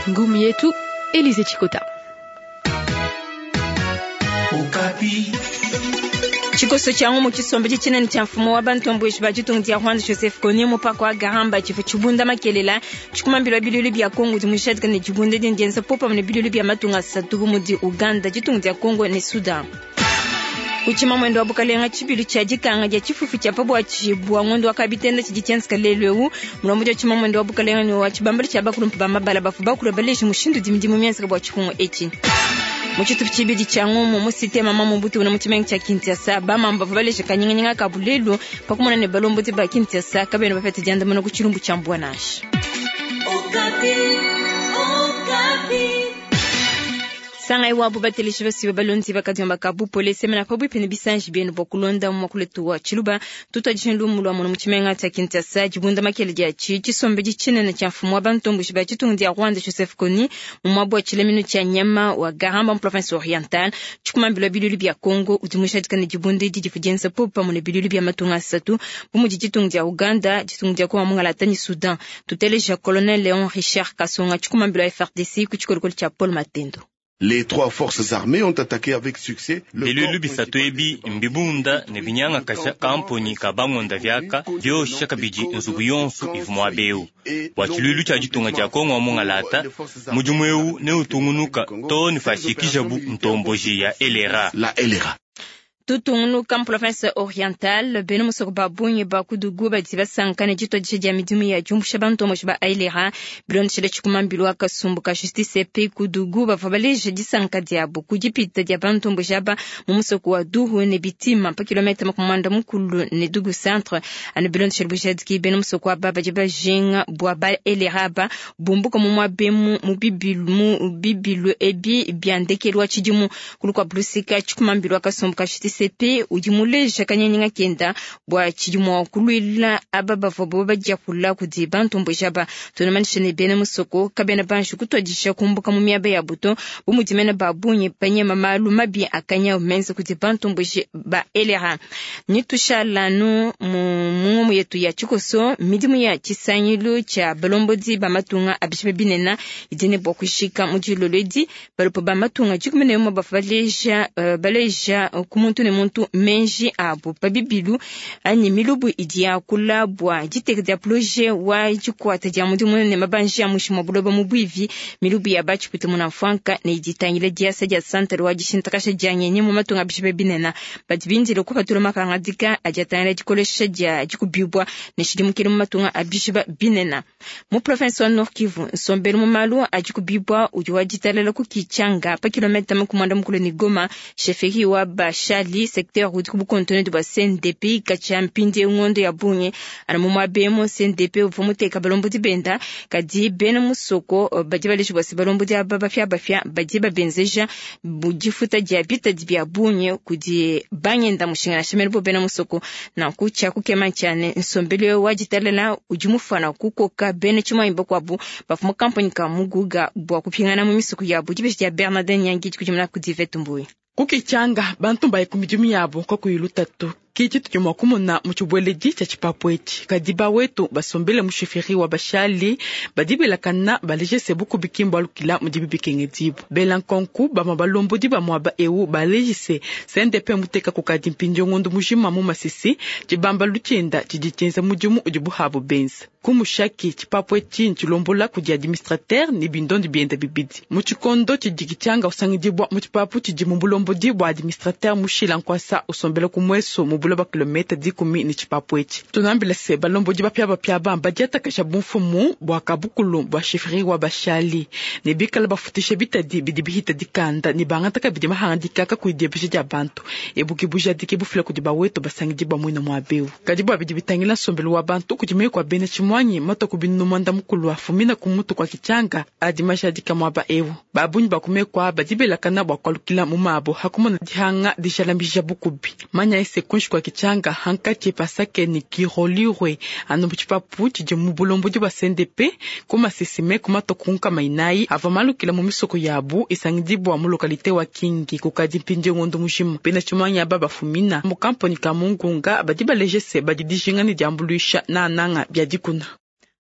Ngumu yetu Elise Chikota. Tshikoso tshia ngumu tshisombe tshinene tshia mfumu wa bantomboji ba ditunga dia Rwanda Joseph Kony mupaka wa Garamba tshivua tshibunda makelela tshikumambila bilulu bia Kongo di mujadika ne dibunda dindi dienza popamue ne bilulu bia matunga asatu bu mudi Uganda, ditunga dia Kongo ne Sudan. Kuchima mwendo wa bukalenga tshibilu tshia dikanga dia tshifufu tshia pabuatshi bua ngondo wa kabitenda tshidi tshienzeka lelu eu mulombodi wa tshima mwendo wa bukalenga ne wa tshibambala tshia bakulumpa ba mabala bafu bakula baleji mushindu udi midimu mienzeka bua tshipungu etshi. Mu tshitupa tshibidi tshia ngumu mu cité mama Mobutu na mu tshimenga tshia Kinshasa bamama bavua baleja kanyinganyinga ka bulelu pa kumona ne balombodi ba Kinshasa kabena bapete diandamuna ku tshilumbu tshia mbua nansha. Sangai wabo bateleji basiba balonzi bakadiomba ka bupole semena pabuipi ne bisanji bienu bua kulonda muakulu wa tshiluba tutuadije lumu lua mono mu tshimenga tshia Kinshasa dibunda makele dia tshi tshisombedi tshinene tshia mfumu wa bantomboji ba ditunga dia Rwanda Joseph Kony mu muaba wa tshilaminu tshia nyama wa Garamba mu province orientale tshikumambila bilulu bia Congo udi mujadika ne dibunda edi divua dienza popamue ne bilulu bia matunga asatu bu mudi ditunga dia Uganda, ditunga dia Kongo mungalata ne Soudan. Tuteleja colonel Léon Richard Kasonga tshikumambila FARDC ku tshikolokolo tshia Paul Matendo. Les trois forces armées ont attaqué avec succès le Bilulu bisatu ebi mbibunda ne binyangakasha kampuni ka bangonda vyaka vyosha kabidi nzubu yonso ivua muaba eu bua tshilulu tshia ditunga dia Kongo wa mungalata mudimu eu neutungunuka too ne fashikijabu ntomboji ya LRA. La LRA. Tutungunuka mu province orientale bena musoko ba bungi ba kudugu badi basanka ne dituadija dia midimu ya diumbusha bantomboji ba ailera bilondeshele tshikumambilu wa kasumbu ka justice pe kudugu bavua baleja disanka diabo ku dipita dia bantomboji aba mu musoko wa duhu ne bitima pa kilomètre makumanda mukulu ne dugu centre anu bilondeshele bujadiki bena musoko aba badi bajinga bua ba elera aba bumbuka mu muabemu mu bibilu ebi bia ndekelu wa tshidimu kulu kua bulusika tshikumambilu wa kasumbu ka justice pe udi muleja kanyanyinga kenda bua tshidi mua kuluila aba bavua bo badiakula kudi bantomboji aba tunamanisha ne bena musoko kabena banji kutuadisha kumbuka mu miaba ya buto bu mudi mena ba bungi banyema malu mabi akanya menza kudi bantomboji ba LRA. Ni tushalanu mu ngumu yetu ya tshikoso midimu ya tshisangilu tshia balombodi ba matunga abishibe binena idi ne bua kushika mu dilolo edi balopo ba matunga dikumi ne umue bavua baleja baleja ku muntu ne muntu menji abo pa bibilu anyi milubu idi yakula bua diteka dia projet wa dikuata dia mudimu ne mabanji a mushi mwa buloba mu buivi milubu ya batshipute muna mfuanka ne iditangila diasa dia santere wa dishintakasha dia ngenyi mu matunga abishibe binena badi bindile kupatula mapangadika adi atangila dikolesha dia dikubibwa ne tshidimukile mu matunga abishiba binena mu province wa Nord Kivu nsombelu mu malu adi kubibwa udi wa ditalala ku Kichanga pa kilomètre makumanda mukulu ne Goma chefferie wa Bashali secteur udi ku bukontone bua CNDP katshia mpindi ngondo ya bungi ana mu muabemo CNDP uvua muteka balombodi benda kadi bena musoko badi baleji bua se balombodi aba bafia bafia badi babenzeja difuta dia bitadi bia bungi kudi bangenda mushinga na bo bena musoko nanku tshia kukema tshiane nsombelu wa ditalala udi mufana kukoka bena tshimuanyi bakuabu bavua mu kampani ka muguga bua kupingana mu misuku yabu dibeji dia Bernardin Nyangi dikudimuna kudi Vetumbuyi. Kukichanga bantu mbaye ku midimu yabo kakuyi lutatu kiji tudi mua kumona mu tshibueledi tshia tshipapu etshi kadi bawetu basombele mu chefferie wa bashali badi belakana baleje se bukubi kimbo alukila mudibi bikengedibu bela nkonku bamue balombodi ba muaba eu baleje se CNDP muteka kukadi mpindieu ngondo mujima mu masisi tshibambalu tshienda tshidi tshienza mudimu udi buhabu benza ku mushaki tshipapu etshi ntshilombola kudi administrateur ne bindondi bienda bibidi mu tshikondo tshidi Kichanga usangidibua mu tshipapu tshidi mu bulombodi bua administrateur mushila nkwasa usombela ku mweso mu buloba kilomètre dikumi ne tshipapu etshi tunambila se balombodi bapia bapia bamba diatakasha bumfumu bua kabukulu bua chefferie wa bashali ne bikala bafutisha bitadi bidi bihita dikanda ne bangata kabidi mahangadika kakuyi diebesha dia bantu ebuki bujadiki bufila kudi bawetu basangidi ba muina muabeu kadi bua bidi bitangila nsombelu wa bantu kudi meyi kua bena tshimuangi. tshimuanyi matwa ku binunu 90 afumina ku mutu kwa Kitshanga adi majadika mwaba ewu. Babunyi bakumekwa badi belakana bua kualukila mu mabo hakumona dihanga dijalambija bukubi. Manya ese kunshi kwa Kitshanga hankatshi pasake ni Kirolirwe anu tshipapu tshidi mu bulombodi bwa CNDP ku masesime ku matoku nkama inayi ava malukila mu misoko yabu isangidibwa mu lokalite wa Kingi kukadi mpindi ngondo mujima. Bena tshimuanyi aba bafumina mu kamponi ka Mungunga badi balejese badi dijinga ne diambuluisha na nanga bya dikuna.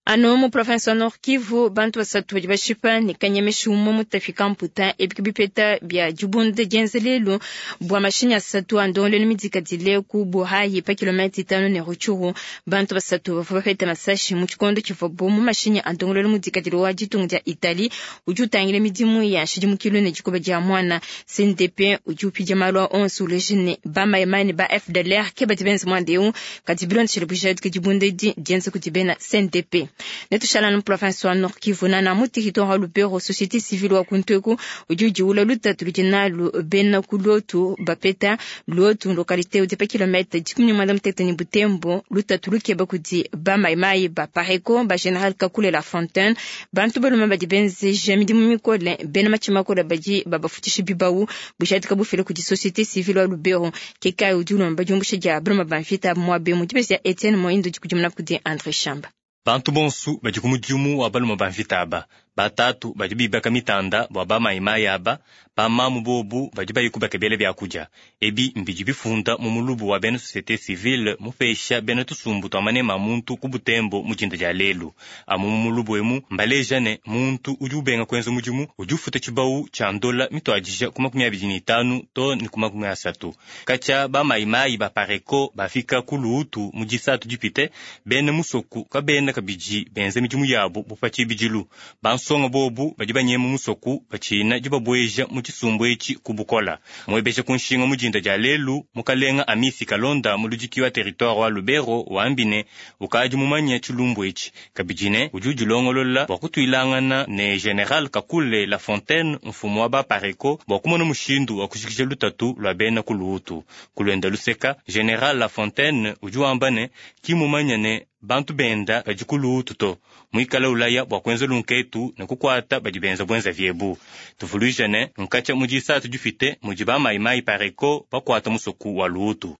Ano mu province wa Nord Kivu bantu basatu badi bashipa ne kanyemesha umwe mutafika mputa ebiki bipeta bya dibunda dienza lelu bua mashinyi asatu a ndongoluelu midikadile ku Buhayi pa kilomita 5 ne Rutshuru. Bantu basatu bavua bapeta masashi mu tshikondo tshivuabu mu mashinyi a ndongoluelu mudikadile wa ditunga dia Italie udi utangila midimu ya nshidimukilu ne dikoba dia mwana. CNDP udi upidia malu a onso uleja ne bamaimai ne ba FDLR ke badi benza muanda eu kadi bilondeshile bujadiki dibunda edi dienza kudi bena CNDP. Netushala no province wa Nord Kivu na mu territoire wa Lubero société civile wa Kuntweku udi udiwula lutatu ludi nalu bena ku Luotu bapeta Luotu localité udi pa kilomètre 18 ni Butembo lutatu lukeba kudi ba maimai ba Pareko ba General Kakule La Fontaine bantu balume badi benzeja midimu mikole bena matshima makole badi babafutisha bibawu bujadika bufile kudi société civile wa Lubero kekayi udi ulomba diumbusha dia baluma ba mvita muabe mu dibesi ya Etienne Moindo dikudimuna kudi André Shamba. Bantu bonsu badi ku mudimu wa balume ba mvita aba batatu badi bibaka mitanda bua bamayimayi aba bamamu bobu badi bayikubaka biela bia kudia ebi mbidi bifunda mu mulubu wa bena société civile mupesha bena tusumbu tua manema a muntu ku Butembo mu dinda dia lelu. Amu mu mulubu emu mbaleja ne muntu udi ubenga kuenza mudimu udi ufuta tshibawu tshia ndola mituadija ku 25 to ne ku 30. Katshia bamayimayi ba Pareko bafika ku Luutu mu disatu dipite bena musoku kabena kabidi benza midimu yabu bupa tshibidilu. Bansonga bobu badi banyema musoku batshina dibabweja mu tshisumbu etshi ku bukola. Mwebesha ku nshinga mu dinda dia lelu mukalenga Amisi Kalonda muludiki wa territoire wa Lubero wambine ukadi mumanya tshilumbu etshi kabidi ne udi udilongolola bua kutuilangana ne General Kakule La Fontaine mfumu wa ba Pareko bua kumona mushindu wa kushikisha lutatu lua bena ku Luutu. Kulwenda luseka General La Fontaine udi wamba ne kimumanya ne bantu benda badi ku Luutu to muikala ulaya bua kuenza lunketu ne kukuata badi benza bwenza vyebu. Tuvuluija ne nkatsha mu disatu difite mudi bamayimayi Pareko bakuata musoku wa Luutu.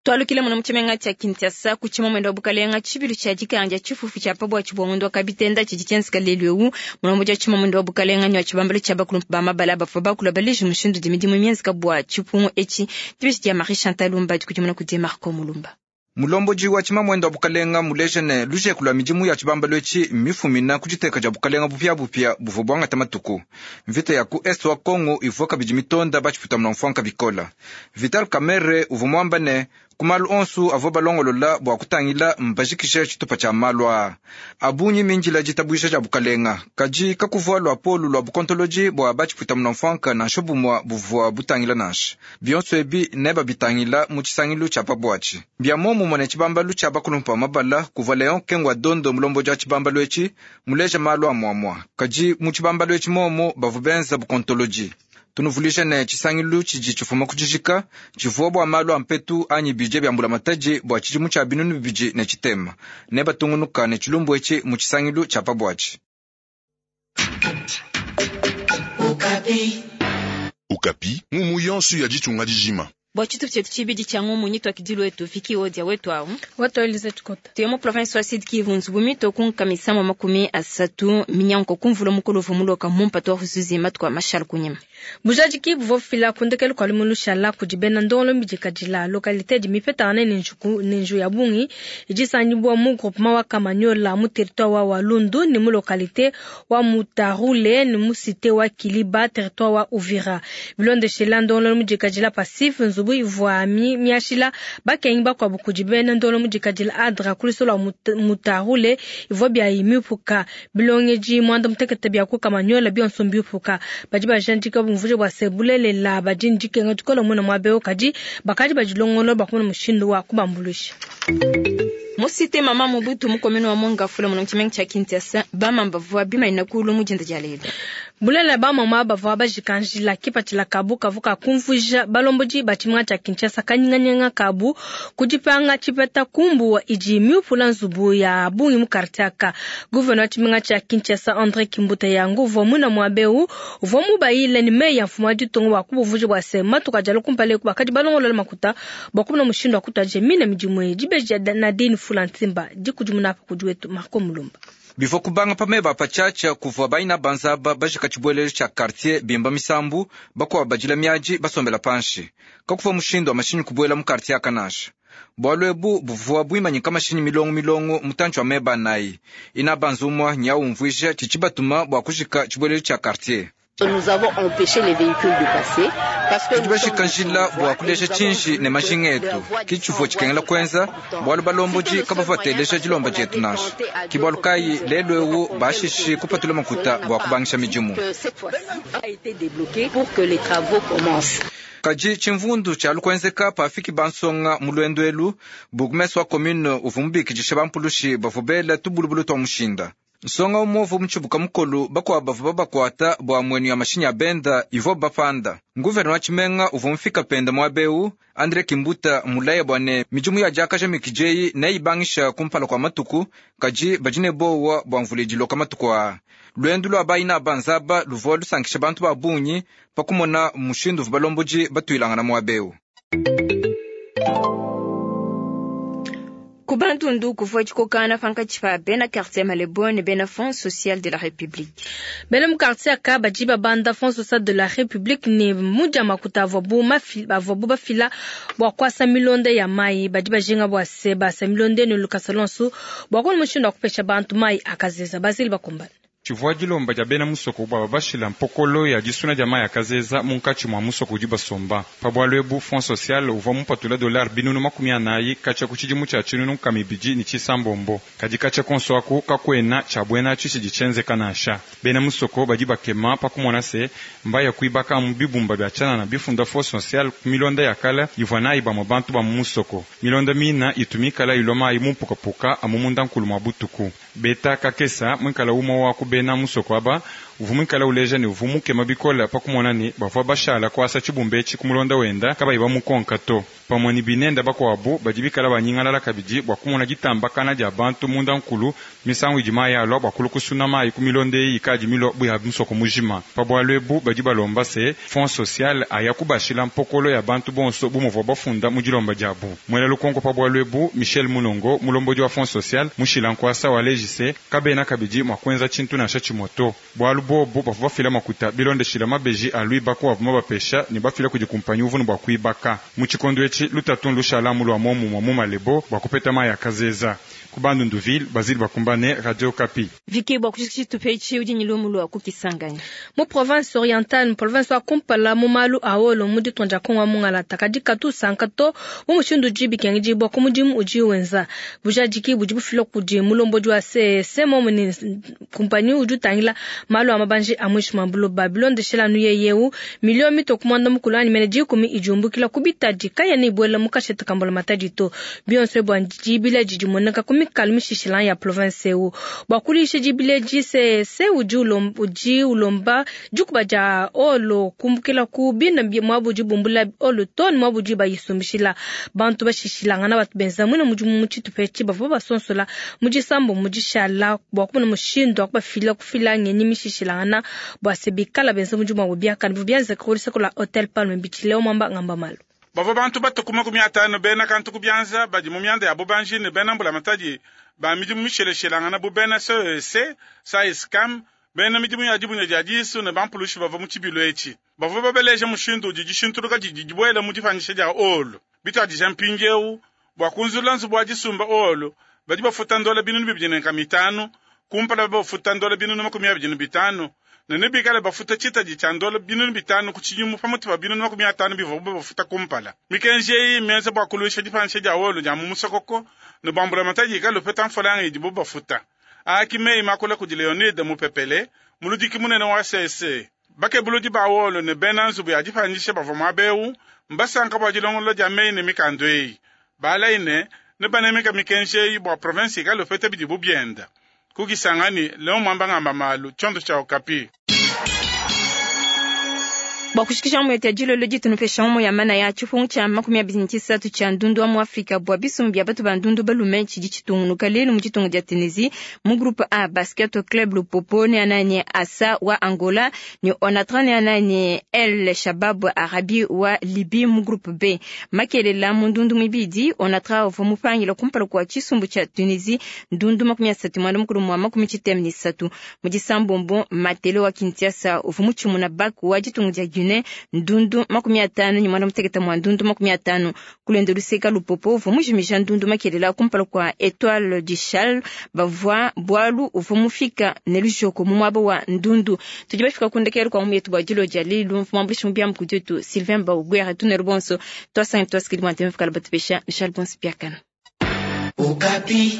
Twalukile muno mutshimenga tshia Kinshasa ku tshimomendo wa bukalenga tshibilu tshia dikanja tshifufu tshia pabua tshibongondo wa kabitenda tshidi tshienzeka lelu ewu mulombo dia tshimomendo wa bukalenga nywa tshibambalo tshia bakulu ba mabala bavua bakula baleja mushindu di midimu mienzeka bua tshipungu etshi dibeji dia Marie Chantal Lumba dikudimuna kudi Marco Mulumba. Mulomboji wa tshimamwendo wa bukalenga mulejene lujeku lwa midimu ya tshibambalo etshi mifumina ku diteka dia bukalenga bupiabupia buvua buangata matuku. Mvita ya ku est wa Kongo ivua kabidi mitonda batshiputamuna mfuanka bikola. Vital Kamerhe uvua muamba ne ku malu onsu avua balongolola bua kutangila mbajikishe tshitupa tshia malu aa abunyi minjila ditabuisha dia bukalenga kadi kakuvua lua polu lua bukontoloji bua batshiputamuna mfuanka nansha bumua buvua butangila nansha bionso ebi ne babitangila mu tshisangilu tshia pabuatshi bia momumue ne tshibambalu tshia bakulumpa mabala kuvua Leon Kengwa Dondo mulomboji wa tshibambalu etshi muleja malu a muamua kadi mu tshibambalu etshi momo bavua benza bukontoloji. Tunuvulisha ne tshisangilu tshidi tshifuma ku tshijika tshivua bua malu a mpetu anyi bidie bia mbulamatadi bua tshidimu tshia 2006 ne batungunuka ne tshilumbu etshi mu tshisangilu tshia pabuatshi. Okapi ngumu yonso ya ditunga dijima. Bua tshitu tshietu tshibidi tshia ngumu nyitwa wetu fiki odia wetu awu wetu Elize Chikota tuye mu province wa Sud Kivu nzubu mito kunkamisa mwa 30 minyanko kumvula mukolovu muloka mumpatu wa huzuzi matuka mashal kunyima bujadiki buvua bufila kundekelu kua lumu lushala kudi bena ndongolo mbidikadila localité di mipetangane ne njuku ne nju ya bungi idi isangibua mu groupement wa Kamanyola mu territoire wa Walundu ne mu localité wa Mutarule ne mu cité wa Kiliba territoire wa Uvira bilondeshela ndongolo mbidikadila passif nzubu ivua miashila bakengi bakuabu kudi bena ndongolo mbidikadila adra kulisola Mutarule ivua bia imipuka bilongeji mwanda mutekete bia ku Kamanyola bionso mbipuka badi bajandika bumvuje bua se bulelela badi ndikenga dikola muna mwabeo kadi bakadi badilongolo bakumuna mushindu wa kubambuluisha. Musite mama Mobutu mukomeno wa Mongafula muno tshimenga tsha Kinshasa bamamba vua bimaina kulu mujinda dia lelo. Bulelela ba mama bavua bajika njila. Kipatshila kabu kavua ka kumvuija balombodi ba tshimenga tshia Kinshasa kanyinganyinga kabu ku dipanga tshipeta ku mbuwa idi miupula nzubu ya bungi mu quartier aka. Gouverneur wa tshimenga tshia Kinshasa Andre Kimbuta Yango uvua muina muaba eu uvua mubayile ne meyi a mfumu wa ditunga bua kubumvuija bua se matuku adi alua kumpala eku bakadi balongolola makuta bua kumona mushindu wa kutuadija mine midimu eyi. Dibeji dia Nadine Fula Ntimba dikudimuna apa kudi wetu Marco Mulumba. Bivua kubanga pa meba a patshiatshia kuvua baina banza aba bajika tshibuelelu tshia quartier bimba misambu, bakuabu badila miadi basombela panshi. Kakuvua mushindu wa mashinyi kubuela mu quartier aka nansha. Bualu ebu buvua buimanyika mashinyi milongo milongo mutantshi wa meba anayi. Ina banza umua nya umvuija tshidi tshibatuma bua kujika tshibuelelu tshia quartier. Tudi bajika njila bua kuleja tshinji ne majinga etu. Ke tshivua tshikengela kuenza, bualu balombodi kabavua bateleja dilomba dietu nansha. Ke bualu kayi lelu eu bashishi kupatula makuta bua kubangisha midimu. Kadi tshimvundu tshialu kuenzeka pafiki bansonga mu luendu elu. Bourgmestre wa commune uvua mubikidishe bampulushi bavua bela tubulubulu tua mushinda. Nsonga umue uvua mutshibuka mukolu, bakuabu bavua babakuata bua muenu ya mashinyi a benda ivuabu bapanda. Nguvena wa tshimenga uvua mufika penda muaba eu, Andre Kimbuta mulaya bua ne midimu ya diakaja mikidi eyi neyibangisha kumpala kua matuku, kadi badi ne bowa bua mvula idiloka matuku aa. Luendu lua bayina ba nzaba luvua lusankisha bantu ba bungi pa kumona mushindu uvua balombodi batuilangana muaba eu. Ku Bandundu kuvua dikokangana pankatshi pa bena quartier Malebo ne bena Fonds social de la République. Bena mu quartier aka badi babanda Fonds social de la République ne mudia makuta avuabu avuabu bafila bua kuasa milonda ya mayi. Badi bajinga bua se basa milonda ne lukasa luonso bua kumona mushindu wa kupesha bantu mayi akazeza. Basile bakumbana. Tshivua dilomba dia bena musoko bua babashila mpokolo ya disuna dia mayi akazeza munkatshi mua musoko udi basomba. Pa bualu ebu, Fonds social uvua mupatula dollar 440 katshia ku tshidimu tshia 2009. Kadi katshia konso aku kakuena tshia buena atshi tshidi tshienzeka nansha. Bena musoko badi bakema pa kumona se mbaya kuibaka amu bibumba bia tshianana bifunda Fonds social ku milonda ya kale ivua nayi bamue bantu ba mu musoko. Milonda mina itu mikala ilua mayi mu mpukapuka amu munda nkulu mua butuku. Beta kakesa muikala umue wa ku bena musoko aba uvua muikala uleja ne uvua mukema bikole pa kumona ne bavua bashala kuasa tshibumba etshi ku mulonda wenda kabayi bamukonka to. Pamue ne binenda bakuabu badi bikala banyingalala kabidi bua kumona ditambakana dia bantu munda nkulu misangu idi mayi alua bua kulua kusuna mayi ku milonda eyi ikadi milua bu ya musoko mujima. Pa bualu ebu badi balomba se Fonds social aya kubashila mpokolo ya bantu bonso bu muvua bafunda mu dilomba diabu. Muela lukonko pa bualu ebu, Michel Munongo, mulombodi wa Fonds social mushila nkuasa waleji se kabena kabidi mua kuenza tshintu nansha tshimue to, bualu bobu bavua bafila makuta bilondeshila mabeji a luibaku avua mabapesha ne bafila kudi kumpanyi uvua ne bua kuibaka. Mu tshikondo etshi lutatu nlushala amu lua muomumue mu Malebo bua kupeta mayi a kazeza. Ku Bandunduville, Basile Bakumbane, Radio Okapi. Vicky bua kujikija tshitupa etshi udi ne lumu lua ku Kisangani. Mu province orientale, mu province wa kumpala mu malu a olo mu ditunga dia Kongo wa mungalata, kadi katu usanka to mu mushindu udi bikengedibua ku mudimu udi wenza. Bujadiki budi bufila kudi mulombodi wa CEC momu ne kumpanyi udi utangila malu a mabanji a muinshi mua buloba. Bilondeshela anu yeye eu, miliyo mitue ku 10 anyi mene 10 idi umbukila ku bitadi kayena ibuela mu kashete ka mbulamatadi to. Bionso ebi bua dibila didi dimueneka ku mikalu mishishila ya province eu. Bua kuluisha dibila edi, CEC udi ulomba, udi ulomba dikuba dia olo kumbukila ku bina muabu udi bumbula olo to ne muabu udi bayisumbishila. Bantu bashishilangana batu benza muine mudimu mu tshitupa etshi bavua basonsola mu disambo mu dishala bua kumona mushindu wa kubafila kufila ngenyi mishishilangana bua se bikala benza mudimu wabu biakane. Bivua bienzeka ku luseke lua Hotel Palme Beach. Leo Mwamba ngamba malu. Bavua bantu batue ku 50 bena kantu ku bianza badi mu mianda ya bubanji ne bena mbulamatadi ba midimu misheleshelangana bu bena CEC, SAESCAM, bena midimu ya dibunya dia disu ne bampulushi bavua mu tshibilu etshi. Bavua babeleja mushindu udi dishintuluka didi dibuela mu dipanyisha dia olo. Bituadija mpindieu bua kunzulula nzubu wa disumba olo, badi bafuta ndola 2500, kumpala bafuta ndola 25,000, ne nebikale bafuta tshitadi tshia ndola 5,000 ku tshidimu pamutu pa 50,000 bivuabu bafuta kumpala. Mikenji eyi mmienza bua kuluisha dipanyisha dia olo dia mu musokoko ne bua mbulamatadi ikale upeta mfranga idibu bafuta. Aa ki meyi makula kudi Leonide Mupepele, muludiki munene wa CEC. Bakebuludi ba olo ne bena nzubu ya dipanyisha bavua muaba eu mbasanka bua dilongolola dia meyi ne mikanda eyi. Balayi ne nebanemeka mikenji eyi bua province ikale upeta bidibu bienda. Ku Kisangani, Leon Mwamba ngamba malu, tshiondo tshia Okapi. Bua kushikisha mu yetu dilolo ditunupesha mu ya mana ya tshipungu tshia 23 tshia ndundu wa mu Afrika bua bisumbu bia batu ba ndundu balume tshidi tshitungunuka lelu mu ditunga dia Tunisie mu groupe A Basket Club Lupopo ne anani Asa wa Angola ne Onatra ne anani El Shabab Arabi wa Libye mu groupe B. Makelela mu ndundu mibidi Onatra uvua mupangila kumpala kua tshisumbu tshia Tunisie ndundu 33 mu disambombo Matelo wa Kinshasa uvua mutshimuna Baku wa ditunga dia Guinée ndundu 58 mwa ndundu 50 kulenda luseka lupopo uvua mujimija ndundu makelela kumpala kua Etoile du Chal bavua bwalu uvua mufika ne lujoko mu muaba wa ndundu. Tudi bafika kundekela kwa muyetu bua dilo dia lelu mfumambulishi mubiamu kudietu Sylvain Baugwere tunelu bonso twasangi twasikili mwa ntembe fukala batupesha Michel Bonsi Piakana. Okapi.